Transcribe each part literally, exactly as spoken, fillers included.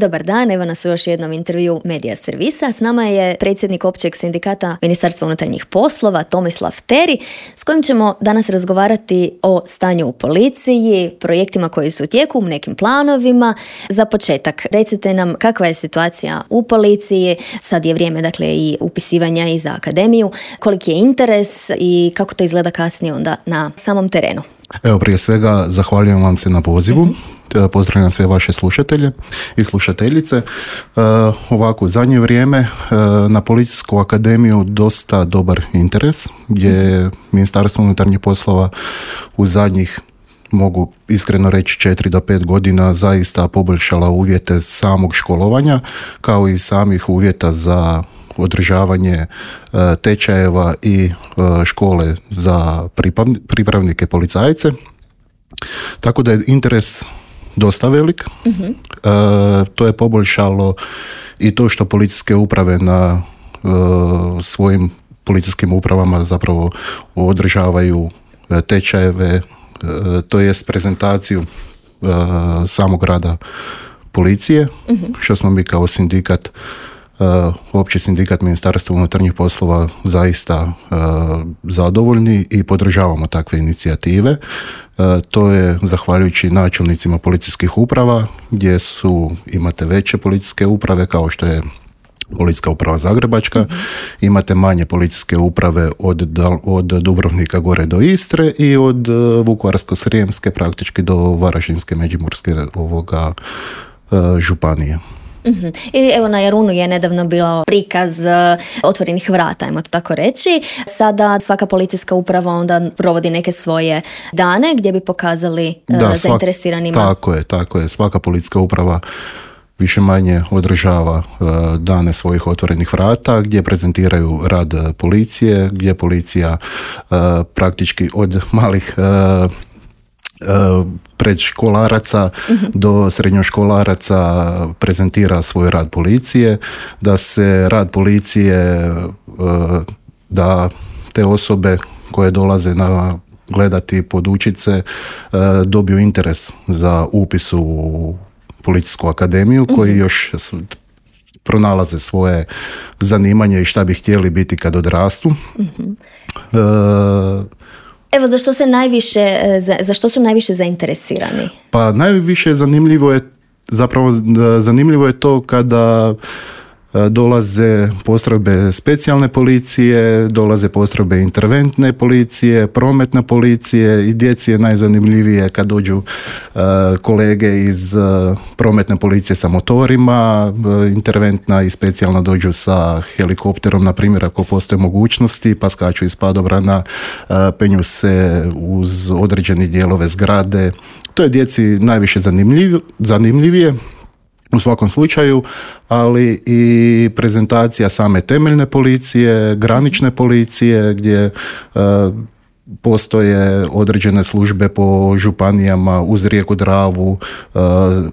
Dobar dan, evo nas u još jednom intervju Medija servisa. S nama je predsjednik općeg sindikata Ministarstva unutarnjih poslova Tomislav Teri, s kojim ćemo danas razgovarati o stanju u policiji, projektima koji su u tijeku, nekim planovima. Za početak, recite nam kakva je situacija u policiji, sad je vrijeme dakle i upisivanja i za akademiju, koliki je interes i kako to izgleda kasnije onda na samom terenu. Evo, prije svega zahvaljujem vam se na pozivu. Mm-hmm. Pozdravljam sve vaše slušatelje i slušateljice. E, ovako, u zadnje vrijeme e, na Policijsku akademiju dosta dobar interes, gdje je Ministarstvo unutarnjih poslova u zadnjih, mogu iskreno reći, četiri do pet godina zaista poboljšala uvjete samog školovanja, kao i samih uvjeta za održavanje e, tečajeva i e, škole za pripravnike policajce. Tako da je interes dosta velik. Mm-hmm. E, to je poboljšalo i to što policijske uprave na e, svojim policijskim upravama zapravo održavaju e, tečajeve, e, to jest prezentaciju e, samog rada policije, mm-hmm. što smo mi kao sindikat Uh, opći sindikat Ministarstva unutarnjih poslova zaista uh, zadovoljni i podržavamo takve inicijative. Uh, to je zahvaljujući načelnicima policijskih uprava, gdje su, imate veće policijske uprave kao što je Policijska uprava Zagrebačka, mm-hmm. imate manje policijske uprave od, od Dubrovnika gore do Istre i od uh, Vukovarsko-srijemske praktički do Varaždinske, Međimurske ovoga uh, županije. Uhum. I evo na Jarunu je nedavno bilo prikaz uh, otvorenih vrata, ajmo to tako reći. Sada svaka policijska uprava onda provodi neke svoje dane gdje bi pokazali uh, da, zainteresiranima. Svak, tako je, tako je. Svaka policijska uprava više manje održava uh, dane svojih otvorenih vrata gdje prezentiraju rad policije, gdje policija uh, praktički od malih uh, predškolaraca mm-hmm. do srednjoškolaraca prezentira svoj rad policije, da se rad policije, da te osobe koje dolaze na gledati, podučit se, dobiju interes za upis u Policijsku akademiju, mm-hmm. koji još pronalaze svoje zanimanje i šta bi htjeli biti kad odrastu. Mm-hmm. E, Evo, za što se najviše, za, za što su najviše zainteresirani? Pa najviše zanimljivo je, zapravo zanimljivo je to kada dolaze postrojbe specijalne policije, dolaze postrojbe interventne policije, prometne policije i djeci je najzanimljivije kad dođu uh, kolege iz uh, prometne policije sa motorima, uh, interventna i specijalna dođu sa helikopterom, na primjer ako postoje mogućnosti, pa skaču iz padobrana, uh, penju se uz određene dijelove zgrade. To je djeci najviše zanimljiv, zanimljivije. U svakom slučaju, ali i prezentacija same temeljne policije, granične policije, gdje uh, postoje određene službe po županijama uz rijeku Dravu, uh,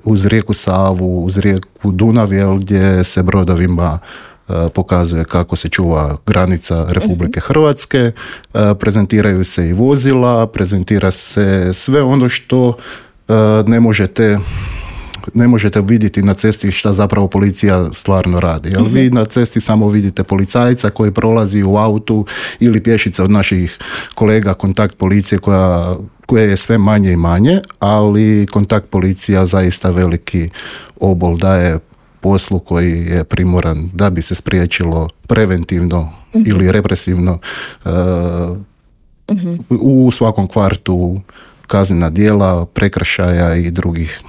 uz rijeku Savu, uz rijeku Dunav, gdje se brodovima uh, pokazuje kako se čuva granica Republike Hrvatske. Uh, prezentiraju se i vozila, prezentira se sve ono što uh, ne možete ne možete vidjeti na cesti šta zapravo policija stvarno radi. Jel? Mm-hmm. Vi na cesti samo vidite policajca koji prolazi u autu ili pješice od naših kolega, kontakt policije koja, koja je sve manje i manje, ali kontakt policija zaista veliki obol daje poslu koji je primoran da bi se spriječilo preventivno mm-hmm. ili represivno uh, mm-hmm. u svakom kvartu kaznena djela, prekršaja i drugih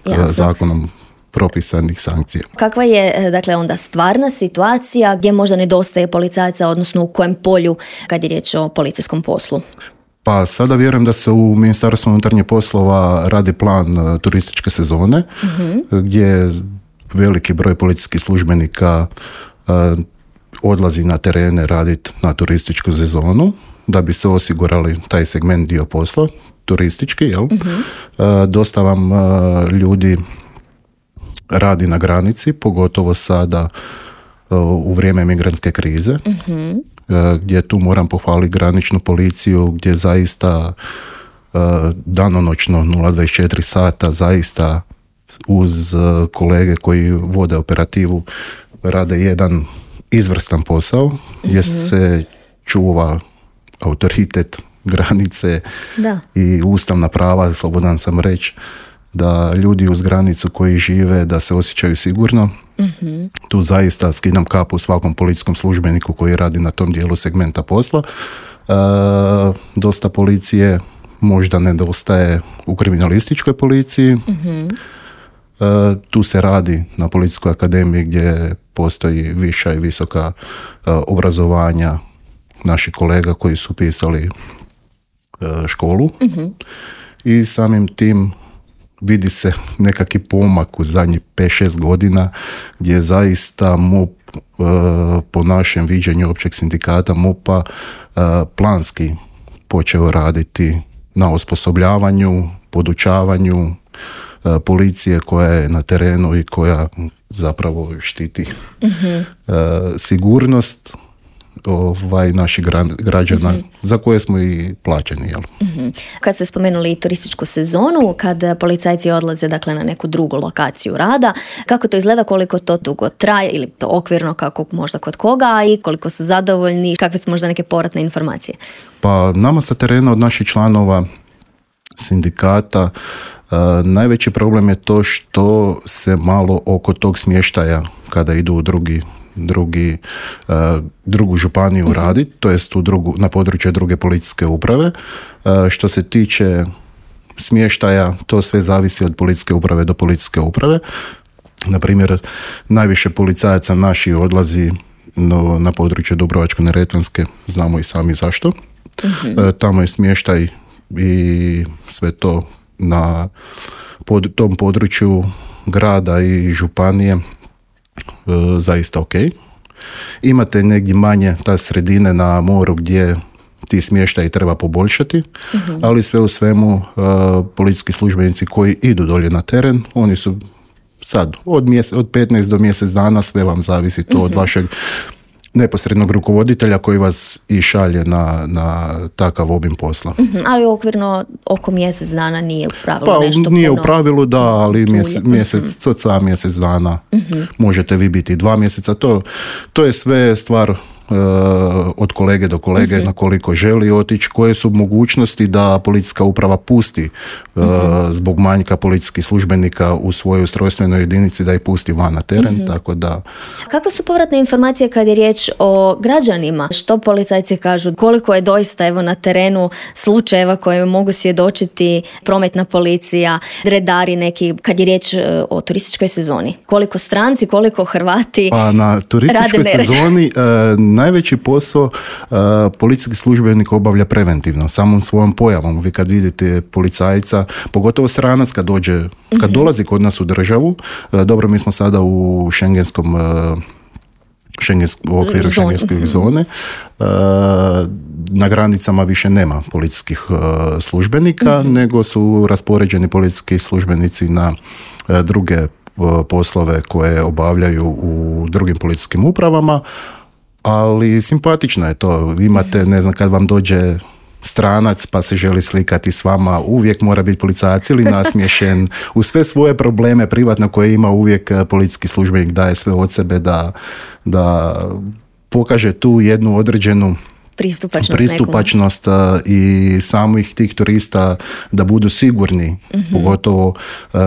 Jasne. zakonom propisanih sankcija. Kakva je dakle onda stvarna situacija gdje možda nedostaje policajaca, odnosno u kojem polju kad je riječ o policijskom poslu? Pa sada vjerujem da se u Ministarstvu unutarnjih poslova radi plan turističke sezone, mm-hmm. gdje veliki broj policijskih službenika uh, odlazi na terene raditi na turističku sezonu da bi se osigurali taj segment dio posla, turistički, jel? Mm-hmm. Uh, dosta vam uh, ljudi radi na granici, pogotovo sada uh, u vrijeme migrantske krize, mm-hmm. uh, gdje tu moram pohvaliti graničnu policiju, gdje zaista uh, danonoćno nula dvadeset četiri sata zaista uz kolege koji vode operativu rade jedan izvrstan posao gdje mm-hmm. se čuva autoritet, granice da. I ustavna prava, slobodan sam reći, da ljudi uz granicu koji žive da se osjećaju sigurno. Mm-hmm. Tu zaista skidam kapu svakom policijskom službeniku koji radi na tom dijelu segmenta posla. E, dosta policije možda nedostaje u kriminalističkoj policiji. Mm-hmm. E, tu se radi na Policijskoj akademiji gdje postoji viša i visoka e, obrazovanja naših kolega koji su pisali e, školu. Mm-hmm. I samim tim vidi se nekakvi pomak u zadnjih pet šest godina gdje zaista M U P e, po našem viđenju općeg sindikata M U P-a e, planski počeo raditi na osposobljavanju, podučavanju e, policije koja je na terenu i koja zapravo štiti mm-hmm. e, sigurnost ovaj, naših građana mm-hmm. za koje smo i plaćeni. Jel? Mm-hmm. Kad ste spomenuli turističku sezonu, kad policajci odlaze dakle, na neku drugu lokaciju rada, kako to izgleda, koliko to dugo traje ili to okvirno kako možda kod koga i koliko su zadovoljni, kakve su možda neke povratne informacije? Pa nama sa terena od naših članova sindikata uh, najveći problem je to što se malo oko tog smještaja kada idu u drugi drugi, uh, drugu županiju mm-hmm. raditi, to jest u drugu, na području druge policijske uprave. Uh, što se tiče smještaja, to sve zavisi od policijske uprave do policijske uprave. Na primjer, najviše policajaca naši odlazi no, na područje Dubrovačko-neretvanske, znamo i sami zašto. Mm-hmm. Uh, tamo je smještaj i sve to na pod, tom području grada i županije zaista ok. Imate negdje manje ta sredine na moru gdje ti smještaj treba poboljšati, uh-huh. ali sve u svemu uh, policijski službenici koji idu dolje na teren, oni su sad od, mjese, od petnaest do mjesec dana, sve vam zavisi to uh-huh. od vašeg neposrednog rukovoditelja koji vas i šalje na, na takav obim posla. Mm-hmm, ali okvirno oko mjesec dana nije u pravilu pa, nešto nije puno. U pravilu da, ali mjesec, mjesec mm-hmm. cca mjesec dana. Mm-hmm. Možete vi biti dva mjeseca. To, to je sve stvar uh, od kolege do kolege mm-hmm. na koliko želi otići, koje su mogućnosti da policijska uprava pusti uh, mm-hmm. zbog manjka policijskih službenika u svojoj ustrojstvenoj jedinici da ih pusti van na teren. Mm-hmm. Tako da... Kakve su povratne informacije kad je riječ o građanima? Što policajci kažu? Koliko je doista evo na terenu slučajeva koje mogu svjedočiti prometna policija, redari neki, kad je riječ o turističkoj sezoni? Koliko stranci, koliko Hrvati pa na turističkoj sezoni uh, najveći posao uh, policijski službenik obavlja preventivno, samom svojom pojavom. Vi kad vidite policajca, pogotovo stranac kad dođe, kad mm-hmm. dolazi kod nas u državu, uh, dobro, mi smo sada u šengenskom uh, Šengensk, u okviru šengenske zone. Uh, na granicama više nema policijskih uh, službenika, mm-hmm. nego su raspoređeni policijski službenici na uh, druge uh, poslove koje obavljaju u drugim policijskim upravama, ali simpatično je to. Imate, ne znam, kad vam dođe stranac pa se želi slikati s vama, uvijek mora biti policajac ili nasmiješen. U sve svoje probleme privatno koje ima, uvijek policijski službenik daje sve od sebe da, da pokaže tu jednu određenu pristupačnost, pristupačnost i samih tih turista da budu sigurni, mm-hmm. pogotovo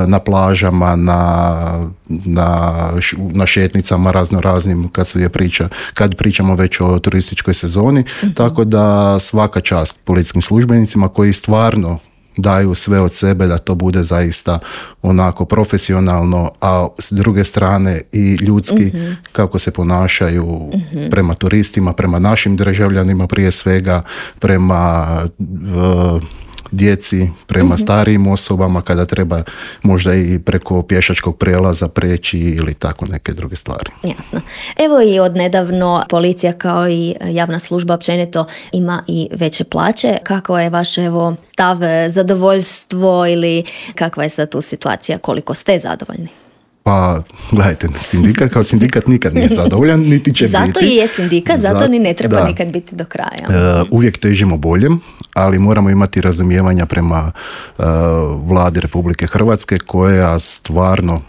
na plažama, na, na, na šetnicama razno raznim kad se je priča, kad pričamo već o turističkoj sezoni, mm-hmm. tako da svaka čast policijskim službenicima koji stvarno daju sve od sebe da to bude zaista onako profesionalno, a s druge strane i ljudski mm-hmm. kako se ponašaju mm-hmm. prema turistima, prema našim državljanima prije svega, prema uh, djeci, prema mm-hmm. starijim osobama kada treba možda i preko pješačkog prijelaza preći ili tako neke druge stvari. Jasno. Evo i odnedavno policija kao i javna služba općenito ima i veće plaće. Kako je vaš evo stav, zadovoljstvo ili kakva je sad tu situacija, koliko ste zadovoljni? Pa, gledajte, sindikat kao sindikat nikad nije zadovoljan, niti će zato biti. Zato i je sindikat, zato, zato ni ne treba da. nikad biti do kraja. Uh, uvijek težimo boljem, ali moramo imati razumijevanja prema uh, vladi Republike Hrvatske, koja stvarno,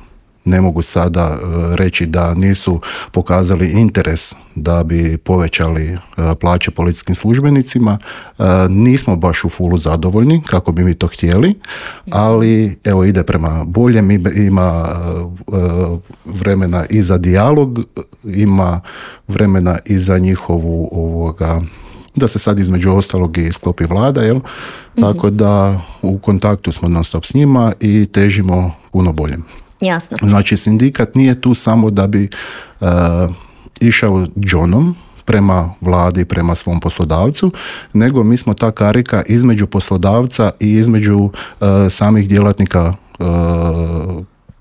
ne mogu sada uh, reći da nisu pokazali interes da bi povećali uh, plaće policijskim službenicima. Uh, nismo baš u fulu zadovoljni kako bi mi to htjeli, ali evo ide prema boljem, ima uh, vremena i za dijalog, ima vremena i za njihovu ovoga, da se sad između ostalog i sklopi vlada, jel? Mm-hmm. Tako da u kontaktu smo non stop s njima i težimo puno boljem. Jasno. Znači, sindikat nije tu samo da bi uh, išao džonom prema vladi, prema svom poslodavcu, nego mi smo ta karika između poslodavca i između uh, samih djelatnika uh,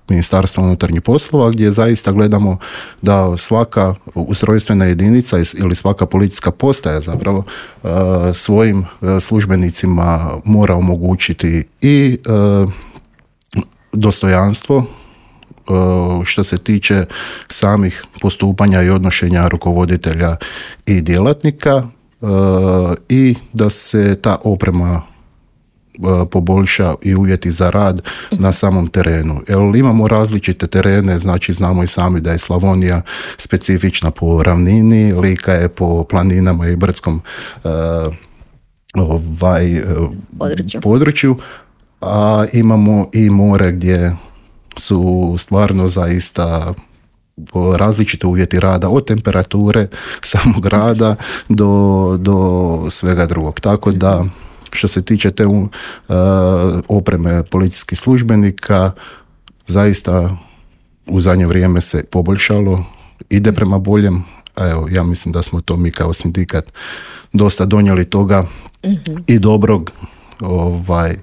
Ministarstva unutarnjih poslova, gdje zaista gledamo da svaka ustrojstvena jedinica ili svaka policijska postaja zapravo uh, svojim uh, službenicima mora omogućiti i uh, dostojanstvo što se tiče samih postupanja i odnošenja rukovoditelja i djelatnika i da se ta oprema poboljša i uvjeti za rad na samom terenu. Jer imamo različite terene, znači znamo i sami da je Slavonija specifična po ravnini, Lika je po planinama i brdskom ovaj, području. području, a imamo i more gdje su stvarno zaista različite uvjeti rada, od temperature samog rada do, do svega drugog. Tako da što se tiče te uh, opreme policijskih službenika, zaista u zadnje vrijeme se poboljšalo, ide prema boljem, a evo, ja mislim da smo to mi kao sindikat dosta donijeli toga mm-hmm. i dobrog, ovaj,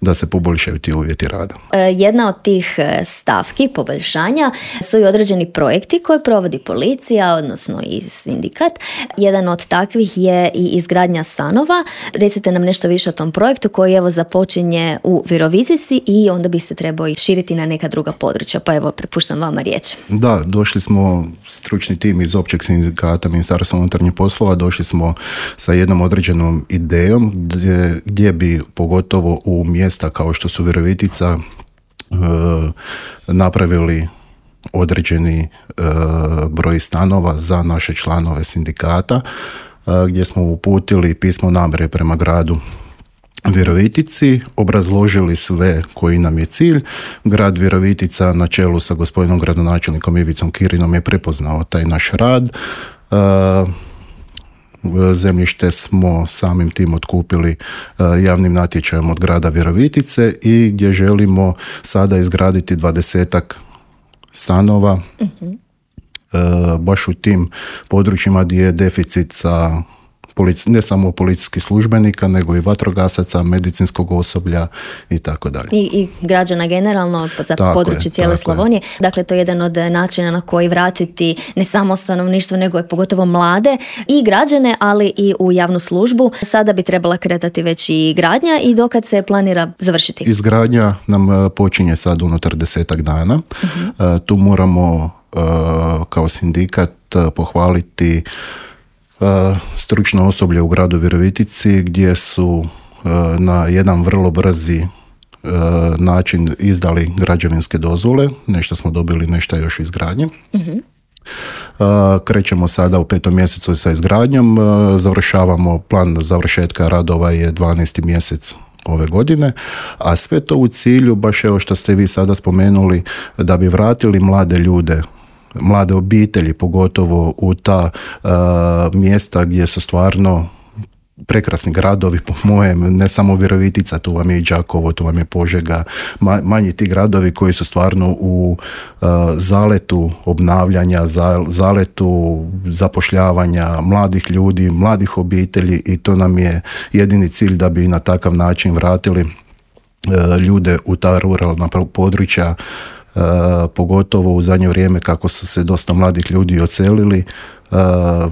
da se poboljšaju ti uvjeti rada. Jedna od tih stavki poboljšanja su i određeni projekti koje provodi policija, odnosno i sindikat. Jedan od takvih je i izgradnja stanova. Recite nam nešto više o tom projektu koji evo započinje u Virovitici i onda bi se trebao i širiti na neka druga područja. Pa evo, prepuštam vama riječ. Da, došli smo, stručni tim iz općeg sindikata Ministarstva unutarnjih poslova, došli smo sa jednom određenom idejom gdje, gdje bi pogotovo u mjesta kao što su Virovitica e, napravili određeni e, broj stanova za naše članove sindikata, e, gdje smo uputili pismo namjere prema gradu Virovitici, obrazložili sve koji nam je cilj. Grad Virovitica na čelu sa gospodinom gradonačelnikom Ivicom Kirinom je prepoznao taj naš rad. E, Zemljište smo samim tim otkupili javnim natječajem od grada Virovitice i gdje želimo sada izgraditi dvadesetak stanova uh-huh. baš u tim područjima gdje je deficit sa polici, ne samo policijskih službenika, nego i vatrogasaca, medicinskog osoblja i tako dalje. I, i građana generalno za tako područje je, cijele Slavonije. Je. Dakle, to je jedan od načina na koji vratiti ne samo stanovništvo, nego je pogotovo mlade i građane, ali i u javnu službu. Sada bi trebala kretati već i gradnja i dokad se planira završiti? Izgradnja nam počinje sad unutar desetak dana. Uh-huh. Tu moramo kao sindikat pohvaliti stručno osoblje u gradu Virovitici, gdje su na jedan vrlo brzi način izdali građevinske dozvole. Nešto smo dobili, nešto još izgradnje. Uh-huh. Krećemo sada u petom mjesecu sa izgradnjom. Završavamo, plan završetka radova je dvanaesti mjesec ove godine, a sve to u cilju, baš evo što ste vi sada spomenuli, da bi vratili mlade ljude, mlade obitelji, pogotovo u ta uh, mjesta gdje su stvarno prekrasni gradovi, po mojem, ne samo Virovitica, tu vam je i Đakovo, tu vam je Požega, ma, manji ti gradovi koji su stvarno u uh, zaletu obnavljanja, za, zaletu zapošljavanja mladih ljudi, mladih obitelji, i to nam je jedini cilj, da bi na takav način vratili uh, ljude u ta ruralna područja pogotovo u zadnje vrijeme kako su se dosta mladih ljudi odselili. Uh,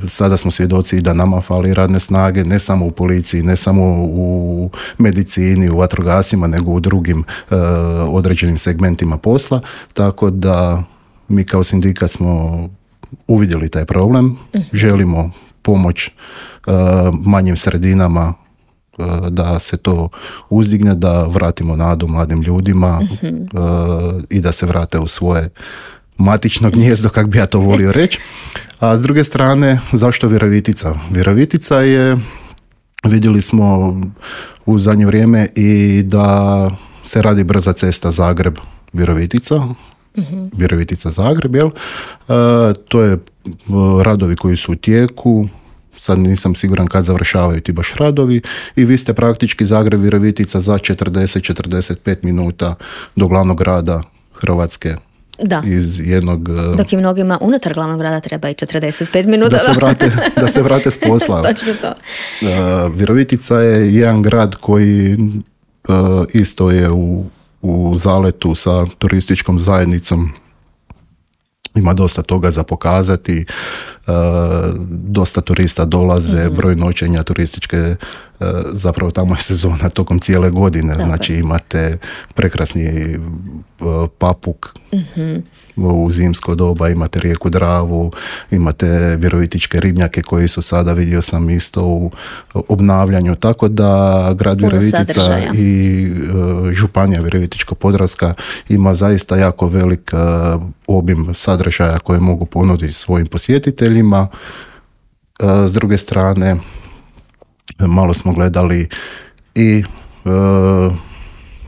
sada smo svjedoci da nama fali radne snage, ne samo u policiji, ne samo u medicini, u vatrogasima, nego u drugim uh, određenim segmentima posla, tako da mi kao sindikat smo uvidjeli taj problem, uh-huh. želimo pomoć uh, manjim sredinama uh, da se to uzdigne, da vratimo nadu mladim ljudima uh-huh. uh, i da se vrate u svoje matično gnijezdo, kak bi ja to volio reći. A s druge strane, zašto Virovitica? Virovitica je, vidjeli smo u zadnje vrijeme i da se radi brza cesta Zagreb-Virovitica, uh-huh. Virovitica-Zagreb, jel? E, to je radovi koji su u tijeku, sad nisam siguran kad završavaju ti baš radovi i vi ste praktički Zagreb-Virovitica za četrdeset do četrdeset pet minuta do glavnog grada Hrvatske. Da. Iz jednog... Dok i mnogima unutar glavnog grada treba i četrdeset pet minuta. Da se vrate, da se vrate s posla. Točno to. Uh, Virovitica je jedan grad koji uh, isto je u, u zaletu sa turističkom zajednicom. Ima dosta toga za pokazati. Uh, dosta turista dolaze, mm-hmm. broj noćenja turističke, uh, zapravo tamo je sezona tokom cijele godine. Dobre. Znači imate prekrasni uh, Papuk, mm-hmm. u zimsko doba, imate rijeku Dravu, imate virovitičke ribnjake koji su sada, vidio sam isto u obnavljanju, tako da grad Puno Virovitica sadržaja. I uh, županija Virovitičko-podravska ima zaista jako velik uh, obim sadržaja koje mogu ponuditi svojim posjetiteljima. S druge strane, malo smo gledali i uh,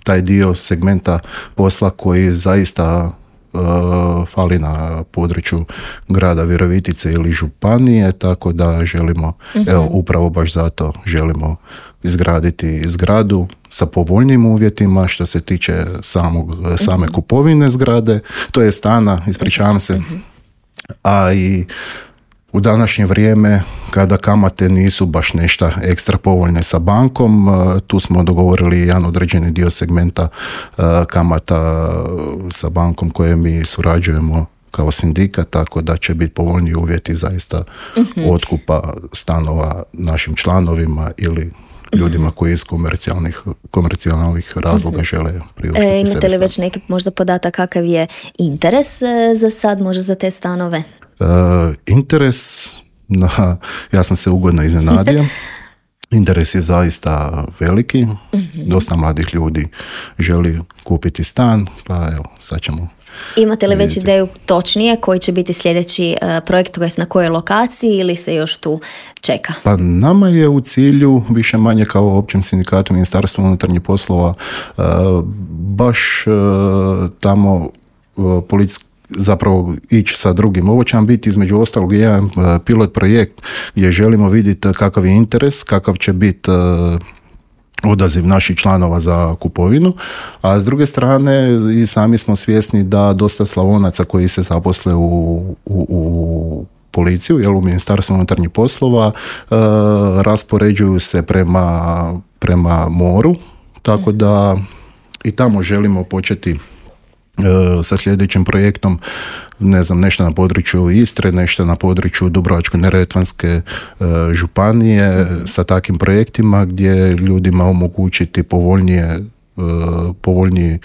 taj dio segmenta posla koji zaista uh, fali na području grada Virovitice ili županije, tako da želimo, uh-huh. evo upravo baš zato želimo izgraditi zgradu sa povoljnim uvjetima što se tiče samog, uh-huh. same kupovine zgrade, to je stana, ispričavam se, uh-huh. a i u današnje vrijeme, kada kamate nisu baš nešto ekstra povoljne sa bankom, tu smo dogovorili jedan određeni dio segmenta kamata sa bankom koje mi surađujemo kao sindikat, tako da će biti povoljniji uvjeti zaista uh-huh. otkupa stanova našim članovima ili ljudima koji iz komercijalnih, komercijalnih razloga uh-huh. žele priuštiti e, sebi. Imate li već neki možda podatak kakav je interes za sad možda za te stanove? Uh, interes, na, ja sam se ugodno iznenadio. Interes je zaista veliki. Uh-huh. Dosta mladih ljudi želi kupiti stan, pa evo, sad ćemo. Imate li već ideju točnije koji će biti sljedeći uh, projekt, to jest na kojoj lokaciji ili se još tu čeka? Pa nama je u cilju, više manje kao općem sindikatu Ministarstva unutarnjih poslova, uh, baš uh, tamo uh, policijski zapravo ići sa drugim. Ovo će nam biti između ostalog jedan uh, pilot projekt gdje želimo vidjeti kakav je interes, kakav će biti uh, odaziv naših članova za kupovinu, a s druge strane i sami smo svjesni da dosta Slavonaca koji se zaposle u, u, u policiju, jel, u Ministarstvu unutarnjih poslova, uh, raspoređuju se prema, prema moru, tako da i tamo želimo početi sa sljedećim projektom, ne znam, nešto na području Istre, nešto na području Dubrovačko-neretvanske uh, županije, mm-hmm. sa takvim projektima gdje ljudima omogućiti povoljnije, uh, povoljniji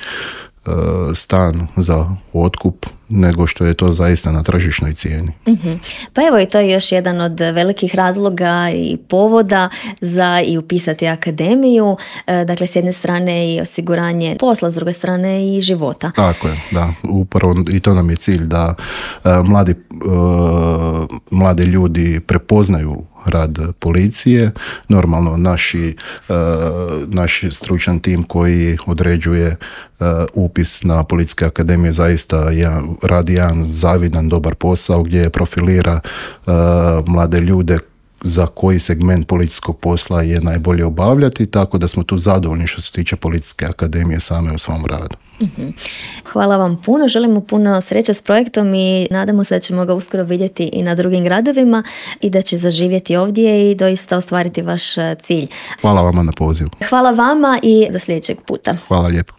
uh, stan za otkup nego što je to zaista na tržišnoj cijeni. Mm-hmm. Pa evo i to je još jedan od velikih razloga i povoda za i upisati akademiju. E, dakle, s jedne strane i osiguranje posla, s druge strane i života. Tako je, da. Upravo i to nam je cilj da e, mladi, e, mladi ljudi prepoznaju rad policije. Normalno naši, uh, naš stručan tim koji određuje uh, upis na Policijske akademije zaista jedan, radi jedan zavidan, dobar posao gdje profilira uh, mlade ljude za koji segment policijskog posla je najbolje obavljati, tako da smo tu zadovoljni što se tiče Policijske akademije same u svom radu. Mm-hmm. Hvala vam puno, želimo puno sreće s projektom i nadamo se da ćemo ga uskoro vidjeti i na drugim gradovima i da će zaživjeti ovdje i doista ostvariti vaš cilj. Hvala vama na pozivu. Hvala vama i do sljedećeg puta. Hvala lijepo.